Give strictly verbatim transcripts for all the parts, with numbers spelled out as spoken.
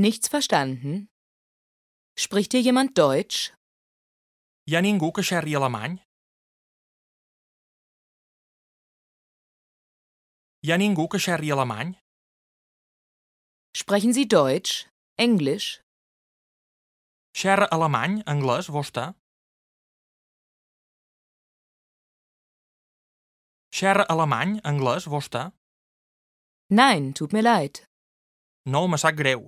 Nichts verstanden? Spricht hier jemand Deutsch? Hi ha ningú que xerri alemany? Hi ha ningú que xerri alemany? Sprechen Sie Deutsch? Englisch? Xerra alemany, anglès, vostè? Xerra alemany, anglès, vostè? Nein, tut mir leid. No, me sap greu.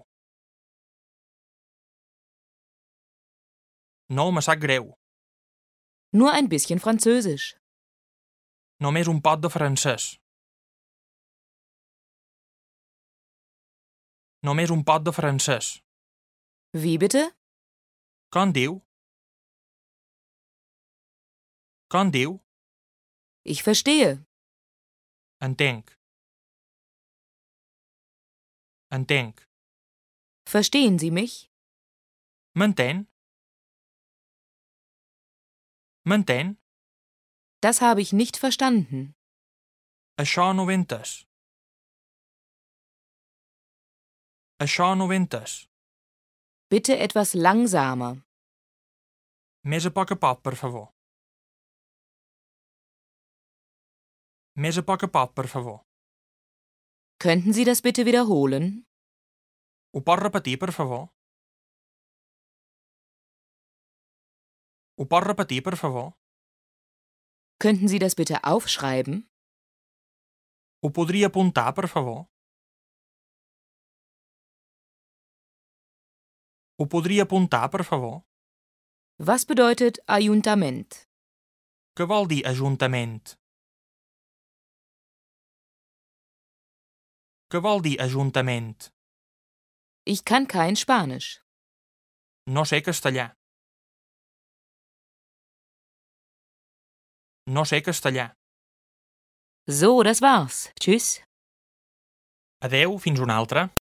No, me sap greu. Nur ein bisschen Französisch. Només un pot de francès. Només un pot de francès. Wie bitte? Com diu? Com diu? Ich verstehe. Entenc. Entenc. Verstehen Sie mich? M'entén? M'entén? Das habe ich nicht verstanden. Això no ho he entès. Això no ho he entès. Bitte etwas langsamer. Més a poc a poc, per favor. Més a poc a poc, per favor. Könnten Sie das bitte wiederholen? Ho pot repetir, per favor? Ho pot repetir, per favor? Könnten Sie das bitte aufschreiben? Ho podria apuntar, per favor? Ho podria apuntar, per favor? Was bedeutet Ayuntament? Què vol dir ajuntament? Què vol dir ajuntament? Ich kann kein Spanisch. No sé castellà. No sé castellà. So, das war's. Tschüss. Adeu, fins una altra.